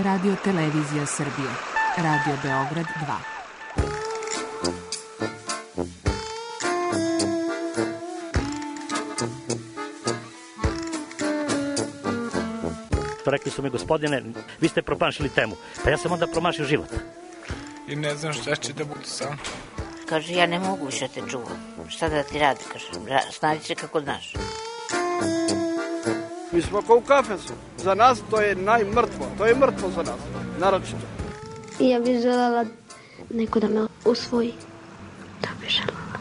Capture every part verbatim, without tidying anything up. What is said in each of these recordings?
Radio Televizija Srbije. Radio Beograd dva. Rekli su mi, gospodine, vi ste promašili temu. Pa ja sam onda promašio život. I ne znam šta će da bude sam. Kaže, ja ne mogu više te čuvam. Šta da ti radi, kaže, snađi se kako znaš. Mi smo kao u kafesu. Za nas to je najmrtvo. To je mrtvo za nas, naročito. I ja bih željela neko da me usvoji. Da bih željela.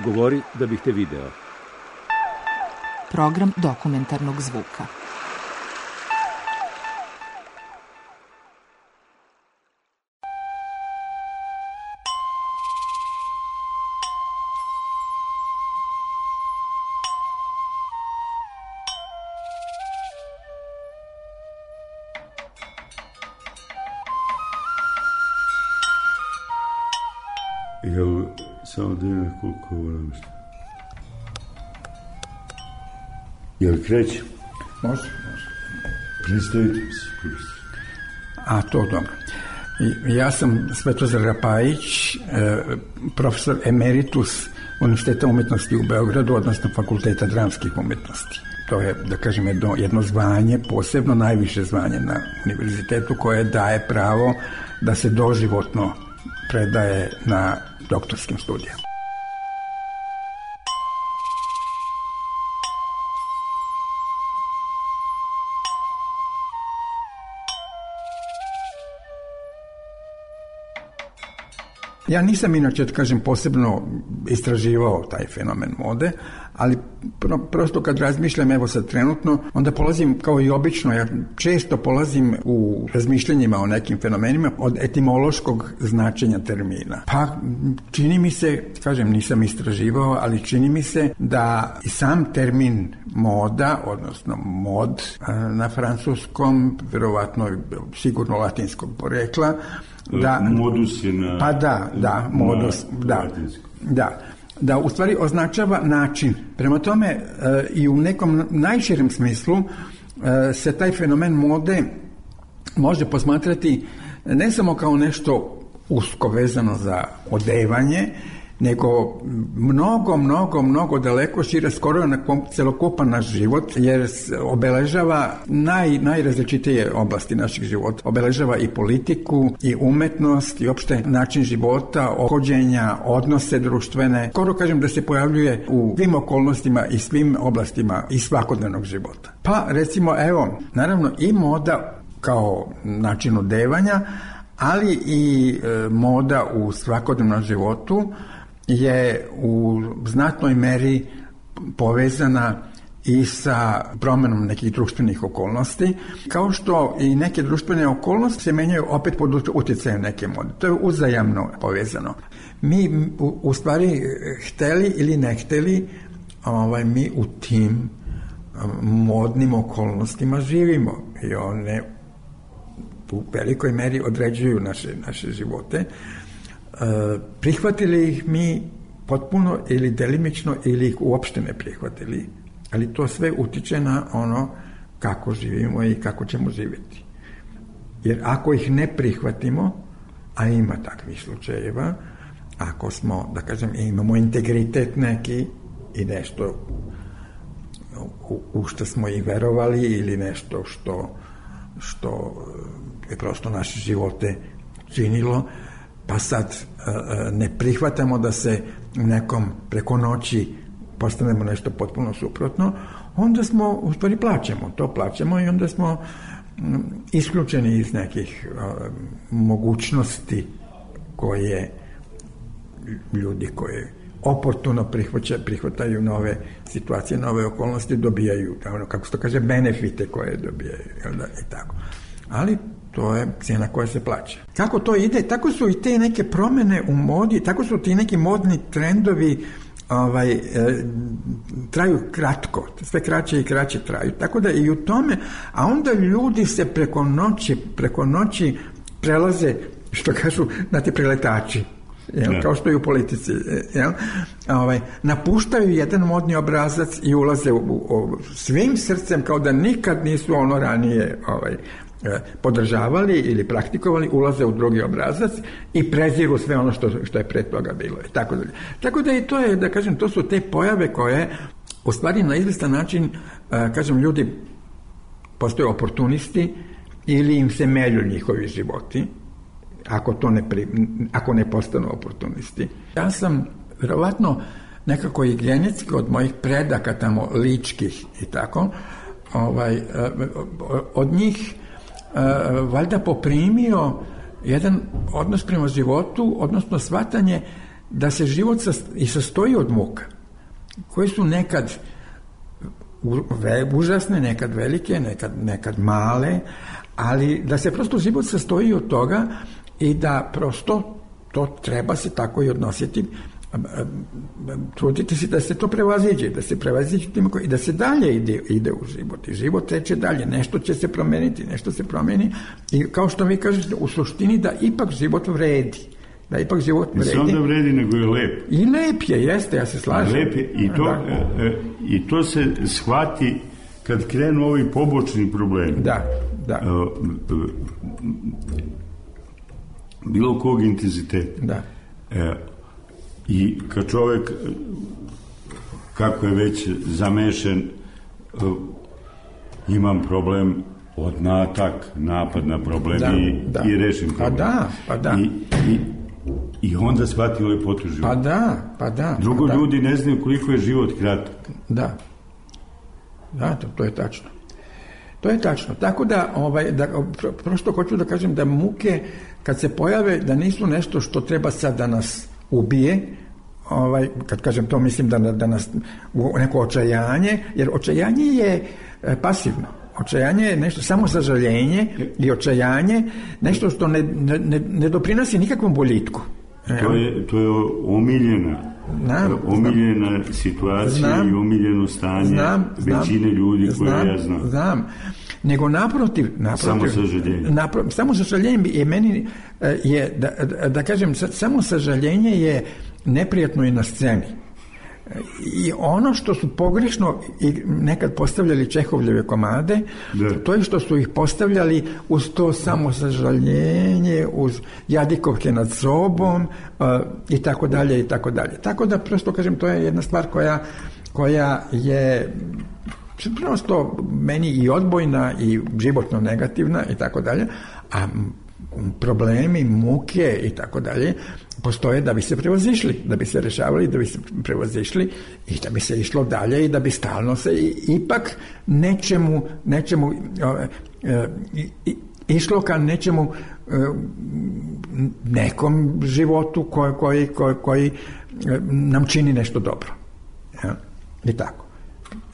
Govori da bih te video. Program dokumentarnog zvuka. Jel samo dvije koliko volim što? Jel krećem? Može, može. Predstavite mi se, kursi. A, to dobro. I, ja sam Svetozar Rapajić, e, profesor emeritus Univerziteta umetnosti u Beogradu, odnosno Fakulteta dramskih umetnosti. To je, da kažem, jedno, jedno zvanje, posebno najviše zvanje na univerzitetu, koje daje pravo da se doživotno predaje na doktorskim studijama. Ja nisam inače, kažem, posebno istraživao taj fenomen mode, ali pro, prosto kad razmišljam, evo sad trenutno, onda polazim kao i obično, ja često polazim u razmišljanjima o nekim fenomenima od etimološkog značenja termina. Pa čini mi se, kažem, nisam istraživao, ali čini mi se da i sam termin moda, odnosno mod na francuskom, verovatno sigurno latinskog porekla, da, modus je na... Pa da, da, modus, na, da, da, da, u stvari označava način. Prema tome e, i u nekom najširem smislu e, se taj fenomen mode može posmatrati ne samo kao nešto usko vezano za odevanje, nego mnogo, mnogo, mnogo daleko šire, skoro na celokupan naš život, jer obeležava naj, najrazličitije oblasti naših života. Obeležava i politiku, i umetnost, i opšte način života, ophođenja, odnose društvene. Skoro kažem da se pojavljuje u svim okolnostima i svim oblastima i svakodnevnog života. Pa recimo, evo, naravno i moda kao način odevanja, ali i e, moda u svakodnevnom životu je u znatnoj meri povezana i sa promenom nekih društvenih okolnosti, kao što i neke društvene okolnosti se menjaju opet pod utjecajem neke mode. To je uzajamno povezano. Mi u, u stvari hteli ili ne hteli, ovaj, mi u tim modnim okolnostima živimo i one u velikoj meri određuju naše, naše živote. E, prihvatili ih mi potpuno ili delimično ili ih uopšte ne prihvatili, ali to sve utiče na ono kako živimo i kako ćemo živjeti. Jer ako ih ne prihvatimo, a ima takvih slučajeva, ako smo, da kažem, imamo integritet neki i nešto u, u što smo i verovali ili nešto što, što je prosto naše živote činilo, pa sad ne prihvatamo da se nekom preko noći postanemo nešto potpuno suprotno, onda smo, u stvari plaćamo, to plaćamo i onda smo isključeni iz nekih mogućnosti koje ljudi koje oportuno prihvaća, prihvataju nove situacije, nove okolnosti, dobijaju, ono, kako se to kaže, benefite koje dobijaju, jel da, i tako. Ali to je cijena koja se plaća. Kako to ide? Tako su i te neke promjene u modi, tako su ti neki modni trendovi ovaj, e, traju kratko, sve kraće i kraće traju. Tako da i u tome, a onda ljudi se preko noći, preko noći prelaze, što kažu, na te preletači. Jel, kao što i u politici, jel, ovaj, napuštaju jedan modni obrazac i ulaze u, u, u svim srcem kao da nikad nisu ono ranije ovaj, podržavali ili praktikovali, ulaze u drugi obrazac i preziru sve ono što, što je pre toga bilo. I tako dalje. Tako da i to je, da kažem, to su te pojave koje u stvari na izvestan način, kažem, ljudi postaju oportunisti ili im se melju njihovi životi ako to ne, pri, ako ne postanu oportunisti. Ja sam vjerovatno nekako i genetski od mojih predaka tamo ličkih i tako, ovaj, od njih valjda poprimio jedan odnos prema životu, odnosno shvatanje da se život i sastoji od muka, koje su nekad užasne, nekad velike, nekad, nekad male, ali da se prosto život sastoji od toga i da prosto to treba se tako i odnositi, truditi se da se to prevaziđe, da se prevaziđe i da se dalje ide, ide u život. I život teče dalje, nešto će se promeniti, nešto se promeni i kao što vi kažete, u suštini da ipak život vredi. Da ipak život vredi. Ne samo da vredi, nego je lep. I lep je, jeste, ja se slažem. Lep je, i to, e, i to se shvati kad krenu ovi pobočni problemi. Da, da. E, bilo kog intenziteta. Da. E, I kad čovjek, kako je već zamešen, imam problem, odnatak, napad na problem da, i, da. i rešim problem. Pa da, pa da. I, i, i onda shvati lepotu života. Pa da, pa da. Drugo, pa da. ljudi ne znaju koliko je život kratak. Da. Da, to, to je tačno. To je tačno. Tako da, ovaj, da, prosto hoću da kažem da muke, kad se pojave, da nisu nešto što treba sad da nas ubije, ovaj, kad kažem to mislim da, da nas u neko očajanje, jer očajanje je e, pasivno. Očajanje je nešto, samo sažaljenje i očajanje, nešto što ne, ne, ne doprinosi nikakvom boljitku. To je, to je omiljena, znam, omiljena znam, situacija znam, i omiljeno stanje znam, većine ljudi koje znam, ja znam. Znam. Nego naprotiv, naprotiv samo sažaljenje. Napro, samo sažaljenje je meni, je, da, da, da kažem, samo sažaljenje je neprijatno i na sceni. I ono što su pogrešno i nekad postavljali Čehovljeve komade, da. To je što su ih postavljali uz to samo sažaljenje, uz jadikovke nad sobom uh, i tako dalje i tako dalje. Tako da prosto kažem, to je jedna stvar koja, koja je prosto meni i odbojna i životno negativna i tako dalje, a problemi, muke i tako dalje postoje da bi se prevazišli, da bi se rešavali, da bi se prevazišli i da bi se išlo dalje i da bi stalno se ipak nečemu, nečemu e, e, išlo ka nečemu e, nekom životu koji, koji, koji, koji nam čini nešto dobro. Ja? I tako.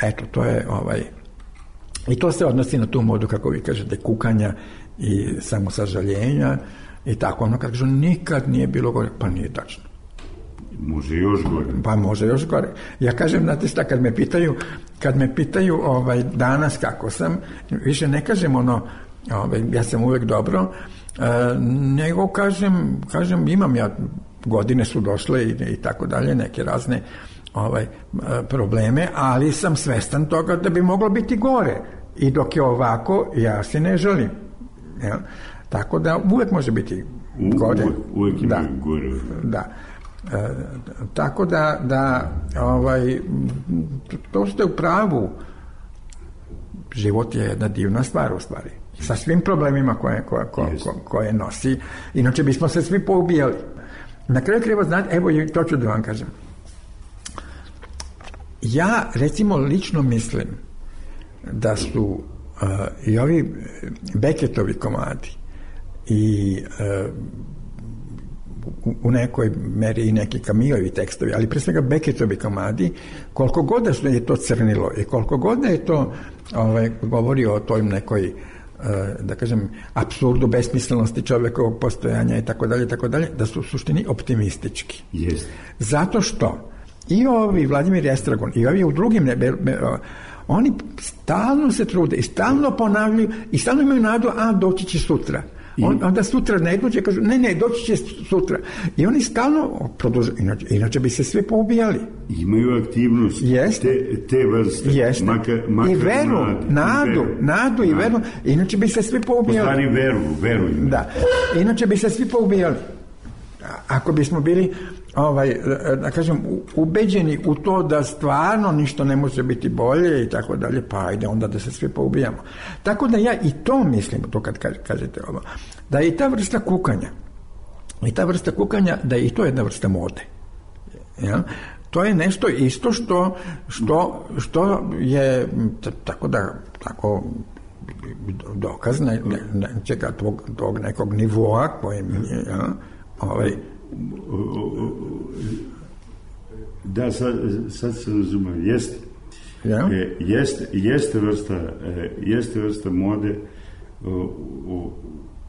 Eto, to je ovaj... I to se odnosi na tu modu, kako vi kažete, kukanja i samosažaljenja i tako. Ono kad kažu nikad nije bilo gore, pa nije tačno. Može još gore. Pa može još gore. Ja kažem, znate šta, kad me pitaju, kad me pitaju ovaj, danas kako sam, više ne kažem ono, ovaj, ja sam uvek dobro, e, nego kažem, kažem, imam ja, godine su došle i, i tako dalje, neke razne ovaj, probleme, ali sam svestan toga da bi moglo biti gore. I dok je ovako, ja se ne želim. Ja? Tako da uvek može biti gore. U, uvek ima da, gore. Da. E, tako da, da ovaj, to ste u pravu. Život je jedna divna stvar u stvari. Sa svim problemima koje, koje, koje, koje nosi. Inače bismo se svi poubijali. Na kraju treba znati, evo to ću da vam kažem. Ja recimo lično mislim da su uh, i ovi Beketovi komadi i uh, u, u nekoj meri i neki Kamilovi tekstovi, ali pre svega Beketovi komadi, koliko god da je to crnilo i koliko god da je to ovaj, govori o toj nekoj uh, da kažem apsurdu, besmislenosti čovekovog postojanja i tako dalje, tako dalje, da su u suštini optimistički. Yes. Zato što i ovi Vladimir Estragon i ovi u drugim nebe, oni stalno se trude i stalno ponavljaju i stalno imaju nadu, a doći će sutra, On, onda sutra ne dođe, kažu, ne, ne, doći će sutra. I oni stalno produžuju, inače, inače bi se svi poubijali. Imaju aktivnost te, te vrste. Jeste. Makar, makar I veru, mladi, nadu, i veru. nadu i veru. Inače bi se svi poubijali. Po stvari veru, veru im. Da. Inače bi se svi poubijali. Ako bismo bili, ovaj, da kažem, ubeđeni u to da stvarno ništa ne može biti bolje i tako dalje, pa ajde onda da se svi poubijamo. Tako da ja i to mislim, to kad kažete ovo, da je i ta vrsta kukanja, i ta vrsta kukanja, da je i to jedna vrsta mode. Ja? To je nešto isto što, što, što je, tako da, tako dokaz ne, ne, nečega tog, tog nekog nivoa kojem je, ja, ovaj... Da, sad, sad se razumem, jeste. Ja? E, jeste, jeste, vrsta, e, jeste vrsta mode u, u,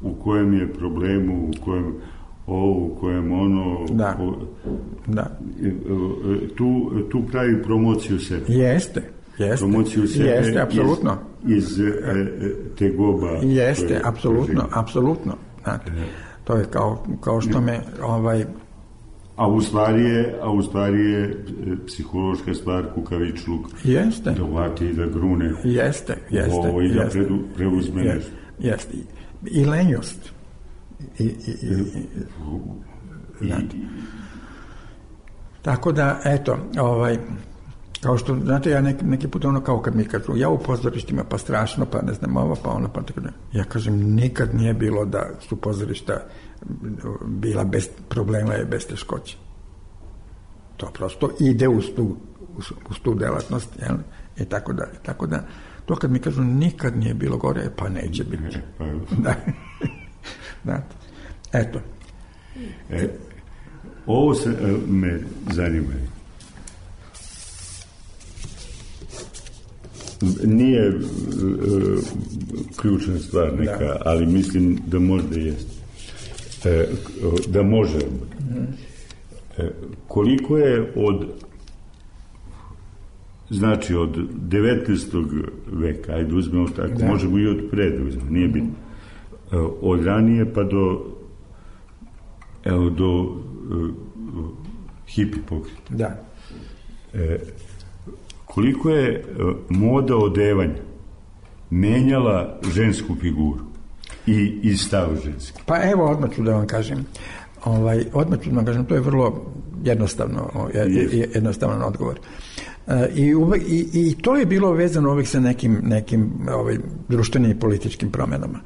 u kojem je problemu, u kojem ovo, u kojem ono... Da, o, da. Tu, tu pravi promociju sebe. Jeste, jeste. Promociju sebe jeste, apsolutno. Iz, iz e, te goba. Jeste, koje, apsolutno, apsolutno. Znate, to je kao, kao što me ovaj... A u stvari je, a u stvari je psihološka stvar kukavičluk. Jeste. Da uvati i da grune. Jeste, jeste. Ovo i da jeste, predu, preuzme jeste, nešto. Jeste. I lenjost. I, i, i, i, i, tako da, eto, ovaj, kao što, znate, ja neki, neki put ono kao kad mi kažu, ja u pozorištima pa strašno, pa ne znam ovo, pa ono, pa tako da, ja kažem, nikad nije bilo da su pozorišta bila bez problema i bez teškoće. To prosto ide uz tu, uz, uz tu delatnost, jel? I tako dalje. Tako da, to kad mi kažu nikad nije bilo gore, pa neće biti. Da. Da. Eto. E, ovo se e, me zanima. Nije e, ključna stvar neka, da. Ali mislim da možda jeste. E, da može. E, koliko je od znači od devetnaestog veka, ajde uzmemo tako, da. Možemo i od pre da uzmemo, nije bitno. E, od ranije pa do evo do uh, hipi pokreta. Da. E, koliko je uh, moda odevanja menjala žensku figuru i, i stav ženski? Pa evo, odmah ću da vam kažem. Ovaj, odmah ću da vam kažem, to je vrlo jednostavno, jednostavan odgovor. E, i, uvek, i, I to je bilo vezano uvek sa nekim, nekim ovaj, društvenim i političkim promenama.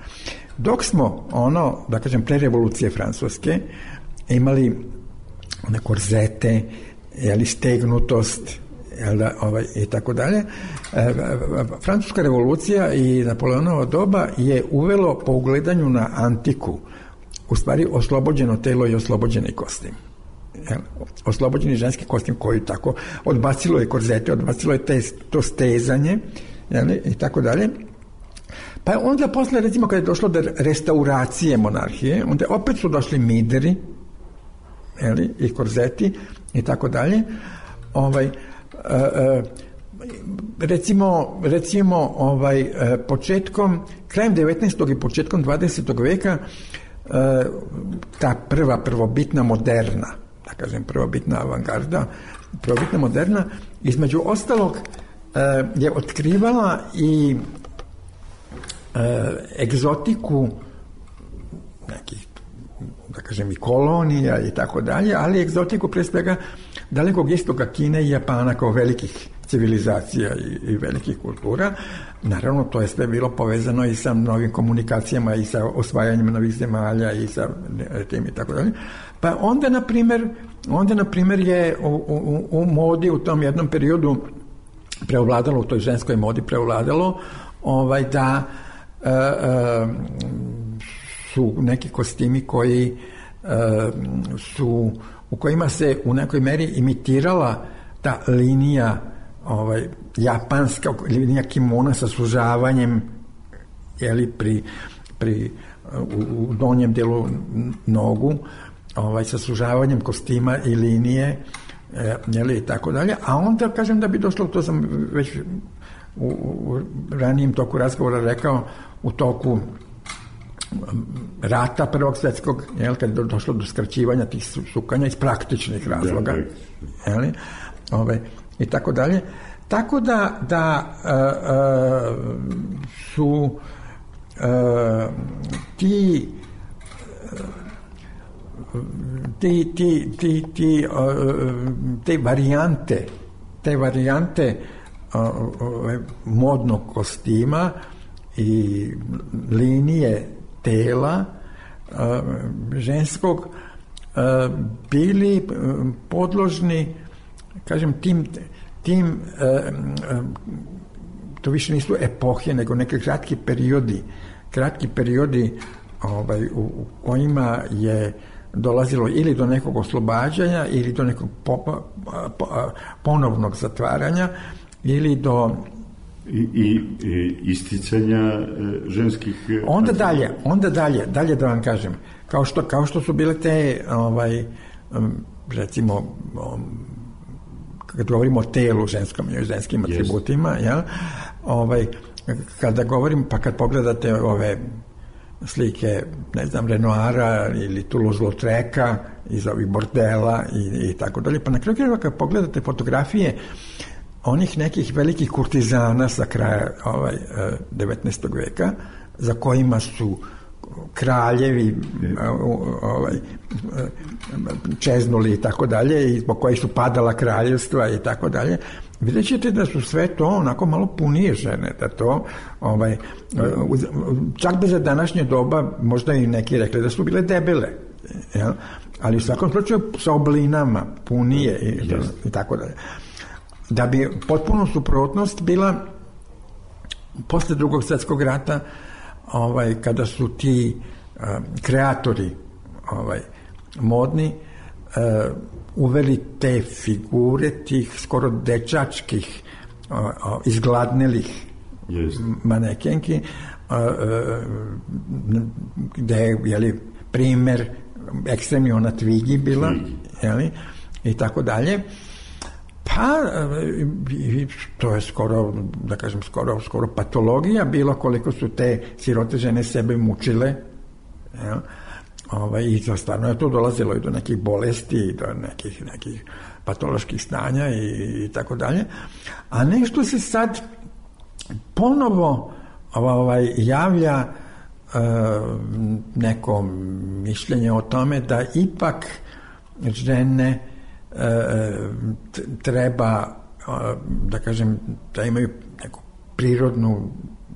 Dok smo, ono, da kažem, pre revolucije francuske, imali one korzete, jeli, stegnutost, jel da, ovaj, i tako dalje, e, francuska revolucija i Napoleonovo doba je uvelo po ugledanju na antiku, u stvari oslobođeno telo i oslobođeni kostim. Jel, oslobođeni ženski kostim koji tako odbacilo je korzete, odbacilo je te, to stezanje, jel, i tako dalje. Pa onda posle, recimo, kada je došlo do restauracije monarhije, onda opet su došli mideri, jeli, i korzeti i tako dalje. Ovaj, e, e, recimo, recimo ovaj, e, početkom, krajem devetnaestog i početkom dvadesetog veka, e, ta prva prvobitna moderna, da kažem prvobitna avangarda, prvobitna moderna, između ostalog e, je otkrivala i egzotiku nekih, da kažem, i kolonija i tako dalje, ali egzotiku pre svega dalekog istoka Kine i Japana kao velikih civilizacija i, i velikih kultura. Naravno, to je sve bilo povezano i sa novim komunikacijama i sa osvajanjem novih zemalja i sa tim i tako dalje. Pa onda, na primjer, onda, na primjer, je u, u, u modi u tom jednom periodu preovladalo, u toj ženskoj modi preovladalo ovaj, da Uh, uh, su neki kostimi koji uh, su, u kojima se u nekoj meri imitirala ta linija ovaj, japanska, linija kimona sa sužavanjem, jeli, pri, pri u, u donjem delu nogu, ovaj, sa sužavanjem kostima i linije, jeli, i tako dalje. A onda, kažem, da bi došlo, to sam već u, u ranijem toku razgovora rekao, u toku rata Prvog svjetskog, jel, kad je došlo do skraćivanja tih sukanja iz praktičnih razloga, jel, ove, i tako dalje. Tako da, da a, a, su a, ti ti, ti, ti, ti te varijante te varijante modnog kostima i linije tela ženskog bili podložni, kažem, tim, tim to više nisu epohe, nego neke kratki periodi, kratki periodi ovaj, u, u kojima je dolazilo ili do nekog oslobađanja ili do nekog po, po, ponovnog zatvaranja ili do i, i, i isticanja e, ženskih onda dalje, onda dalje, dalje da vam kažem, kao što, kao što su bile te ovaj, recimo kad govorimo o telu ženskom i o ženskim atributima, yes. Jel? Ovaj, kada govorim, pa kad pogledate ove slike, ne znam, Renoira ili Toulouse-Lautreka iz ovih bordela i, i tako dalje, pa na kraju krajeva kad pogledate fotografije onih nekih velikih kurtizana sa kraja ovaj, devetnaestog veka, za kojima su kraljevi ovaj, čeznuli i tako dalje, i zbog kojih su padala kraljevstva i tako dalje, vidjet ćete da su sve to onako malo punije žene, da to ovaj, čak bez današnje doba možda i neki rekli da su bile debele, jel? Ali u svakom slučaju sa oblinama punije i, yes. i tako dalje. Da bi potpuno suprotnost bila posle Drugog svjetskog rata, ovaj, kada su ti uh, kreatori ovaj, modni uh, uveli te figure tih skoro dečačkih uh, uh, izgladnelih yes. manekenki uh, uh, gde je, jeli, primer ekstremni ona Twiggy bila, jeli, i tako dalje. Pa, to je skoro, da kažem, skoro, skoro patologija bilo koliko su te sirote žene sebe mučile, jel? Ovaj, i to stvarno je to dolazilo i do nekih bolesti i do nekih, nekih patoloških stanja i, i tako dalje. A nešto se sad ponovo ovaj, javlja uh, neko mišljenje o tome da ipak žene treba, da kažem, da imaju neko prirodno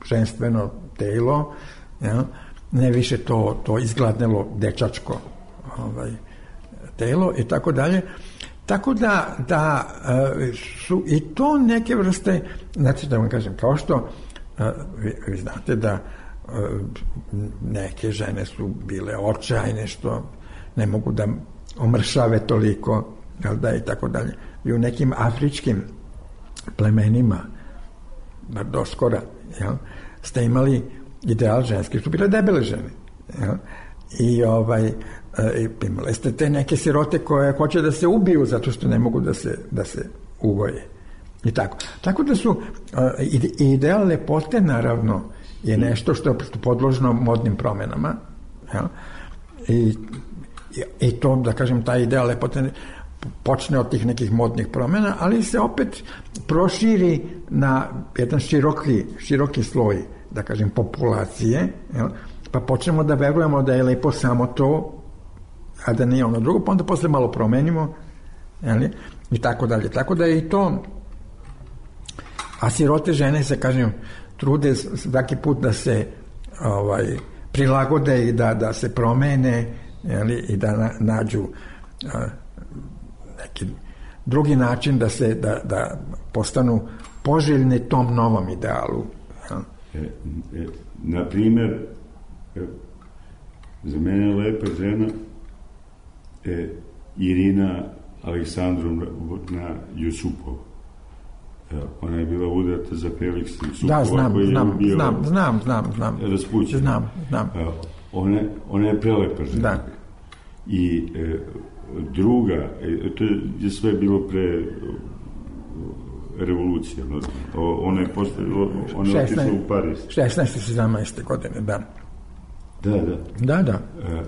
ženstveno telo, ja? Ne više to, to izgladnelo dečačko ovaj, telo i tako dalje. Tako da, da su i to neke vrste, znači da vam kažem, kao što vi, vi znate da neke žene su bile očajne što ne mogu da omršave toliko, jel da, i tako dalje. I u nekim afričkim plemenima, bar doskora, jel, ste imali ideal ženski, su bile debele žene. Jel? I ovaj, e, imali ste te neke sirote koje hoće da se ubiju zato što ne mogu da se, da se ugoje. I tako. Tako da su e, ideal lepote, naravno, je nešto što je podložno modnim promenama. Jel? I, i to, da kažem, taj ideal lepote počne od tih nekih modnih promjena, ali se opet proširi na jedan široki, široki sloj, da kažem, populacije, jel? Pa počnemo da verujemo da je lepo samo to, a da nije ono drugo, pa onda posle malo promenimo, jel? I tako dalje. Tako da je i to, a sirote žene se, kažem, trude svaki put da se ovaj, prilagode i da, da se promene, jel? I da na, nađu a, neki drugi način da se da, da postanu poželjni tom novom idealu. Ja. E, e, na primjer, e, za mene je lepa žena e, Irina Aleksandrovna Jusupova. E, ona je bila udata za Felix Jusupova. Da, znam, koji znam, je bio znam, znam, znam, znam. Raspućen. Znam, znam. E, ona, ona je prelepa žena. Da. I e, druga, e, to je sve bilo pre revolucije, no? Ona je postavila, ona je otišla u Pariz. šesnaeste sedamnaeste godine, da. Da, da. Da, da. E, e,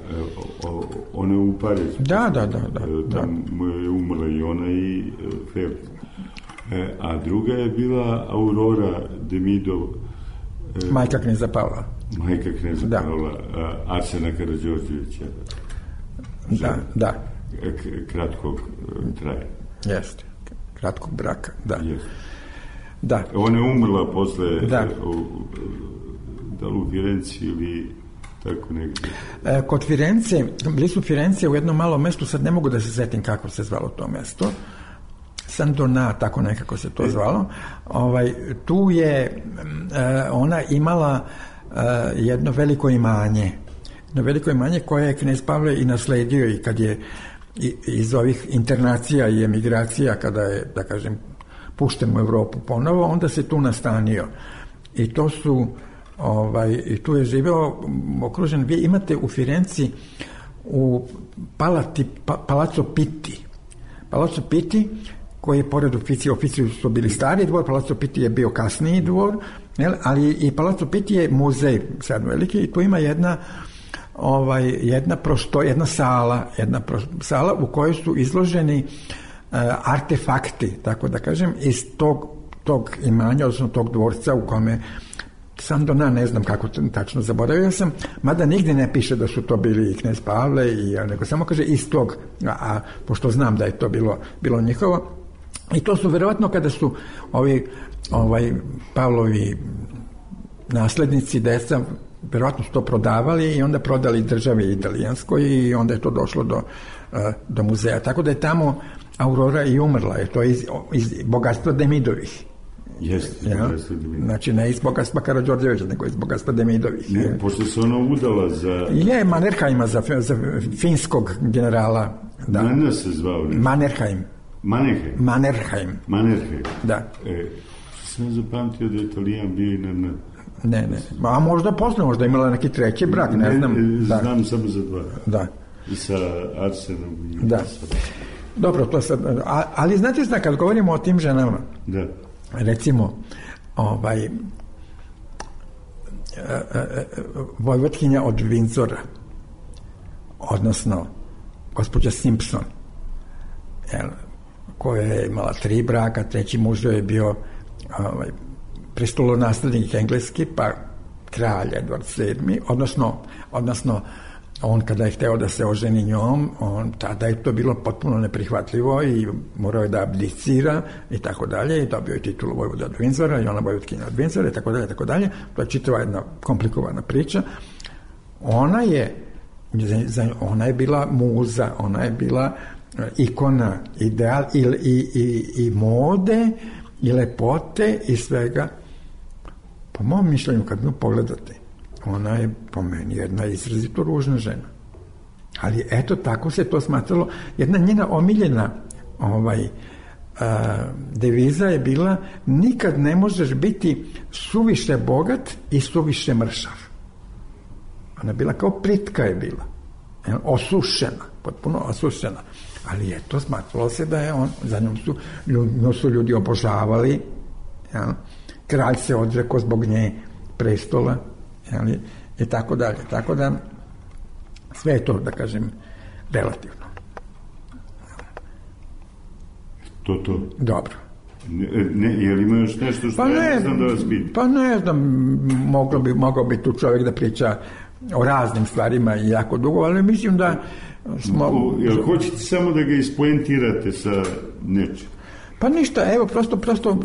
o, ona u Parizu. Da, da, da. da, e, tam da. je umrla i ona i e, Felix. E, a druga je bila Aurora Demidov. E, majka kneza Pavla. Majka kneza da. Pavla, a, Arsena Karađorđevića. Da, da. K- kratkog e, traja. Jeste. Kratkog braka, da. Jeste. Da. Ona je umrla posle da. U, da li u Firenci ili tako negdje. E, kod Firence, blizu Firence u jednom malom mestu, sad ne mogu da se setim kako se zvalo to mesto, San Donà, tako nekako se to zvalo, ovaj, tu je e, ona imala e, jedno veliko imanje, jedno veliko imanje koje je knez Pavle i nasledio i kad je i, iz ovih internacija i emigracija, kada je, da kažem, pušten u Evropu ponovo, onda se tu nastanio. I to su, ovaj, i tu je živeo okružen, vi imate u Firenci u Palati, pa, Palazzo Pitti. Palazzo Pitti, koji je pored oficiji, oficiji su bili stari dvor, Palazzo Pitti je bio kasniji dvor, jel? Ali i Palazzo Pitti je muzej sad veliki i tu ima jedna ovaj, jedna prosto, jedna sala, jedna pro, sala u kojoj su izloženi uh, artefakti, tako da kažem, iz tog, tog imanja, odnosno tog dvorca u kome San Donà, ne znam kako tačno zaboravio sam, mada nigdje ne piše da su to bili i knez Pavle, i, nego samo kaže iz tog, a, a pošto znam da je to bilo, bilo njihovo, i to su verovatno kada su ovi ovaj, Pavlovi naslednici, deca, verovatno su to prodavali i onda prodali državi italijanskoj i onda je to došlo do, do muzeja. Tako da je tamo Aurora i umrla, je to iz, iz bogatstva Demidovih. Jeste, ja? Znači ne iz bogatstva Karađorđevića, nego iz bogatstva Demidovih. Ne, pošto se ona udala za... Je, Mannerheima, za, za finskog generala. Da. Manner se zvao. Ne? Mannerheim. Mannerheim. Mannerheim. Mannerheim. Da. E, sam zapamtio da je Italijan bio na... na... Ne, ne. A možda posle, možda imala neki treći brak, ne, ne znam. Da. Znam da. samo za dva. Da. I sa Arsenom. I da. Sa... Dobro, to sad... A, ali znate šta, kad govorimo o tim ženama, da. recimo, ovaj, e, e, vojvotkinja od Windsora, odnosno gospođa Simpson, jel, koja je imala tri braka, treći muž je bio ovaj, prestolonaslednik engleski, pa kralj Edward sedmi, odnosno, odnosno on kada je hteo da se oženi njom, on, tada je to bilo potpuno neprihvatljivo i morao je da abdicira i tako dalje, i dobio je titulu vojvoda od Windsora i ona vojvotkinja od Windsora i tako dalje, tako dalje. To je čitava jedna komplikovana priča. Ona je, ona je bila muza, ona je bila ikona, ideal i, i, i, i mode i lepote i svega. Po mom mišljenju, kad nju pogledate, ona je po meni jedna izrazito ružna žena. Ali eto, tako se to smatralo. Jedna njena omiljena ovaj, a, deviza je bila: nikad ne možeš biti suviše bogat i suviše mršav. Ona je bila kao plitka je bila. Osušena, potpuno osušena. Ali eto, smatralo se da je on, za njom su, nju su ljudi obožavali. Ja. Kralj se odrekao zbog nje prestola, jeli, i tako dalje. Tako da sve je to, da kažem, relativno. To, to. Dobro. Ne, ne, je li ima još nešto što pa ja ne znam da vas pitam? Pa ne znam, mogao bi, mogao bi tu čovjek da priča o raznim stvarima i jako dugo, ali mislim da smo... O, jel hoćete samo da ga ispoentirate sa nečim? Pa ništa, evo, prosto, prosto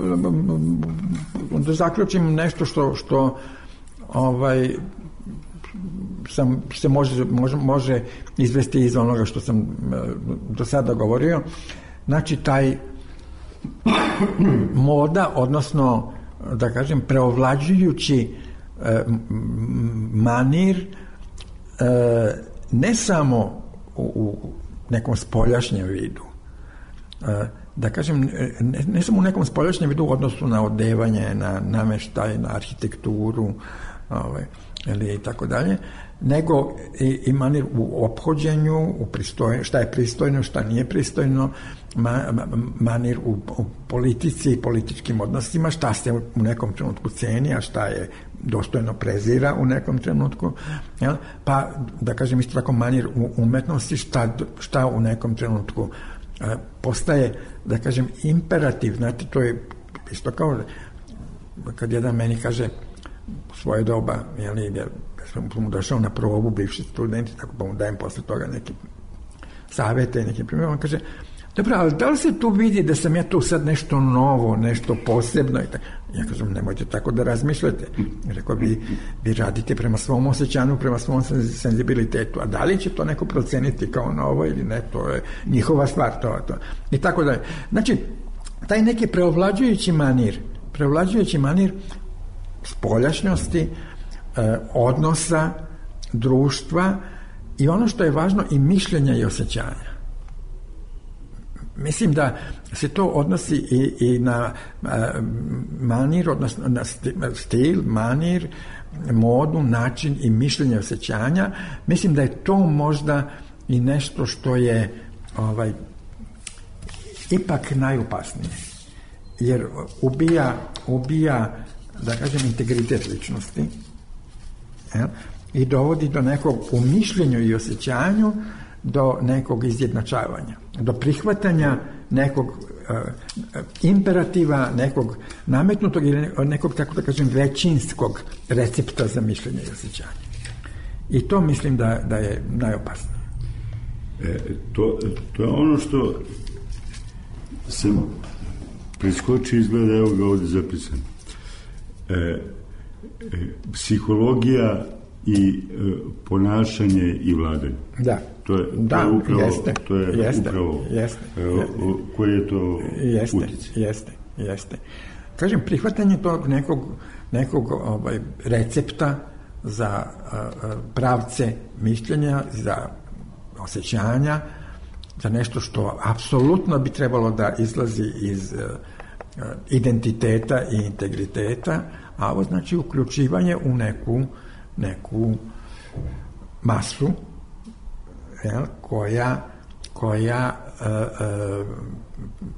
da zaključim nešto što, što ovaj, sam, se može, može, može izvesti iz onoga što sam do sada govorio. Znači, taj moda, odnosno, da kažem, preovlađujući eh, manir, eh, ne samo u, u nekom spoljašnjem vidu, eh, da kažem, ne, ne samo u nekom spoljašnjem vidu u odnosu na odevanje, na nameštaj, na arhitekturu, ovaj, ili i tako dalje, nego i, i manir u ophođenju, u pristojno, šta je pristojno, šta nije pristojno, ma, ma, manir u, u politici i političkim odnosima, šta se u nekom trenutku ceni, a šta je dostojno prezira u nekom trenutku, jel? Pa da kažem isto tako manir u umetnosti šta, šta u nekom trenutku e, postaje, da kažem, imperativ. Znate, to je isto kao kad jedan meni kaže u svoje doba, jel, ja sam mu došao na probu, bivši studenti, tako pa mu dajem posle toga neke savjete, neke primjere, on kaže, dobro, ali da li se tu vidi da sam ja tu sad nešto novo, nešto posebno? Ja kažem, nemojte tako da razmišljate. Rekao, vi, vi radite prema svom osjećanju, prema svom senzibilitetu, a da li će to neko proceniti kao novo ili ne, to je njihova stvar, to, to. I tako da je. Znači, taj neki preovlađujući manir, preovlađujući manir spoljašnjosti, eh, odnosa, društva i ono što je važno, i mišljenja i osjećanja. Mislim da se to odnosi i, i na uh, manir, odnosno na stil, manir, modu, način i mišljenje osjećanja. Mislim da je to možda i nešto što je ovaj, ipak najopasnije. Jer ubija, ubija, da kažem, integritet ličnosti, ja? I dovodi do nekog u mišljenju i osjećanju do nekog izjednačavanja, do prihvatanja nekog uh, imperativa, nekog nametnutog ili nekog, tako da kažem, većinskog recepta za mišljenje i osjećanje. I to mislim da, da je najopasnije. E, to, to je ono što sam preskočio, izgleda, evo ga ovdje zapisan. E, e, psihologija i e, ponašanje i vladanje. Da. To je, da, to je upravo, jeste, to je jeste, upravo jeste, jeste. Koji je to jeste, utjecaj? Jeste, jeste. Kažem, prihvatanje tog nekog, nekog ovaj, recepta za uh, pravce mišljenja, za osjećanja, za nešto što apsolutno bi trebalo da izlazi iz uh, identiteta i integriteta, a ovo znači uključivanje u neku, neku masu, jel, koja, koja e, e,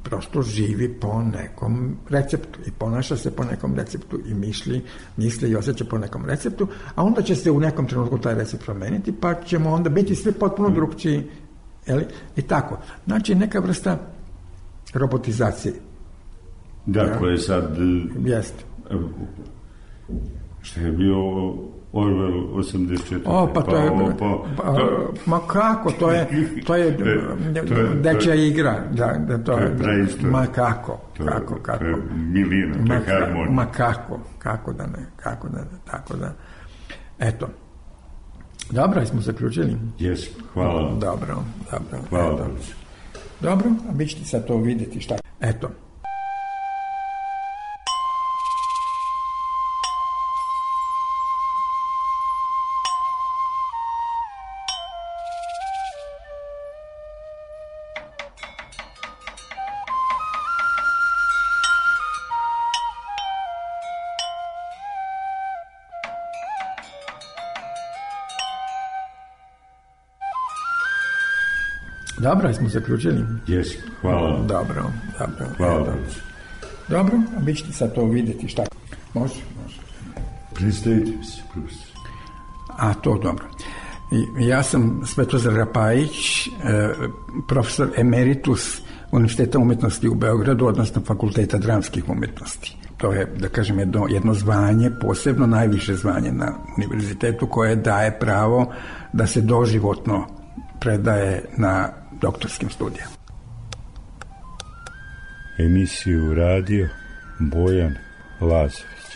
prosto živi po nekom receptu i ponaša se po nekom receptu i misli, misli i osjeća po nekom receptu, a onda će se u nekom trenutku taj recept promeniti, pa ćemo onda biti sve potpuno drugčiji, jel, i tako. Znači, neka vrsta robotizacije. Da, ja? Koje sad... Jeste. Što je bio Orwell osamdeset četiri. O, pa to je... Pa, pa, to, ma kako, to je, to je dečja igra. Da, da, to, to je preistorija. Ma kako, to, kako, kako. To je milina, to je harmonija. Ma kako, kako da ne, kako da ne, tako da... Eto. Dobro, smo zaključili? Jes, hvala. Dobro, dobro. Hvala. Eto. Dobro, a vi ćete sad to vidjeti šta. Eto. Dobro, smo zaključili? Jes, hvala. Dobro, dobro. Hvala. Dobro, dobro, a vi ćete sad to vidjeti šta. Može, može. Predstavite mi se, profesor. A, to dobro. I, ja sam Svetozar Rapajić, eh, profesor emeritus Univerziteta umjetnosti u Beogradu, odnosno Fakulteta dramskih umjetnosti. To je, da kažem, jedno, jedno zvanje, posebno najviše zvanje na univerzitetu, koje daje pravo da se doživotno predaje na doktorskim studijama. Emisiju radio Bojan Lazović.